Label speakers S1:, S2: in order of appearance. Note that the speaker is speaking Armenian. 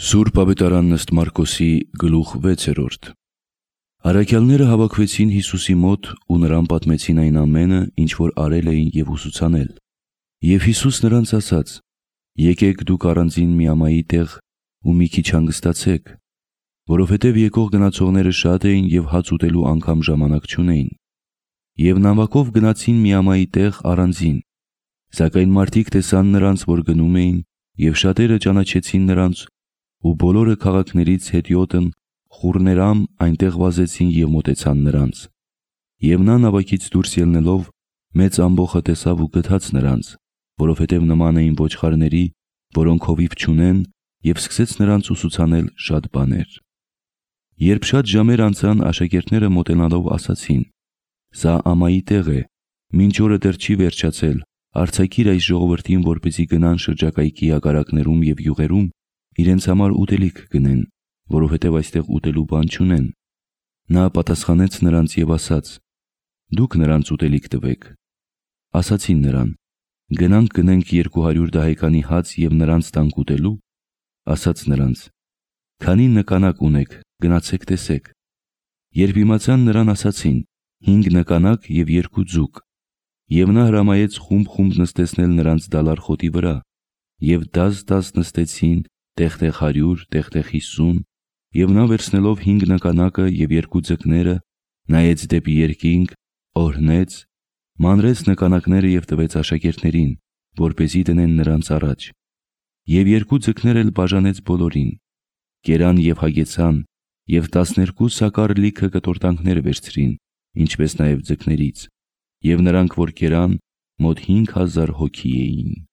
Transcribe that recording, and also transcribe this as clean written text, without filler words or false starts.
S1: Սուրբ ավետարանն ըստ Մարկոսի գլուխ 6-րդ։ Առաքյալները հավաքվեցին Հիսուսի մոտ ու նրան պատմեցին այն ամենը, ինչ որ արել էին և ուսուցանել։ Եվ Հիսուս նրանց ասաց. «Եկեք դուք առանձին միամայի տեղ ու մի քիչ հանգստացեք, որովհետև եկող գնացողները շատ էին և հաց ուտելու անգամ ժամանակ չունեին։ Եվ նավակով գնացին միամայի տեղ առանձին, սակայն մարդիկ տեսան նրանց, որ գնում էին, և շատերը ճանաչեցին նրանց, ու բոլորը քաղաքներից հետիոտն խուռներամ այնտեղ վազեցին և մոտեցան նրանց։ Եվ նա նավակից դուրս ելնելով մեծ ամբոխը տեսավ ու գթաց նրանց, որովհետև նման էին ոչխարների, որոնք հովիվ չունեն, և սկսեց նրանց ուսուցանել շատ բաներ։ Երբ շատ ժամեր անցան, աշակերտները մոտենալով ասացին. «Սա ամայի տեղ է, մինչ օրը դեռ չի վերջացել, արձակիր այս ժողովրդին, որպեսզի գնան շրջակայքի ագարակներում և յուղերում իրենց համար ուտելիք գնեն, որովհետև այստեղ ուտելու բան չունեն»։ Նա պատասխանեց նրանց և ասաց. «Դուք նրանց ուտելիք տվեք»։ Ասացին նրան. «Գնանք գնենք 200 դահեկանի հաց և նրանց տանք ուտելու»։ Ասաց նրանց. «Քանի նկանակ ունեք, գնացեք տեսեք»։ Երբ իմացան նրան, ասացին. 5 նկանակ և 2 ձուկ։ Եվ նա հրամայեց խումբ նստեցնել նրանց դալար խոտի վրա, և դազ նստեցին, տեղ-տեղ 100, տեղ-տեղ 50, և նա վերցնելով 5 նկանակը և 2 ձկները, նայեց դեպի երկինք, օրհնեց, մանրեց նկանակները և տվեց աշակերտներին, որպեսզի դնեն նրանց առաջ։ Եվ 2 ձկներ էլ բաժանեց բոլորին։ Կերան և հագեցան, և 12 սակար լիքը կտորտանքներ վերցրին, ինչպես նաև ձկներից, և նրանք, որ կերան, մոտ 5000 հոգի էին։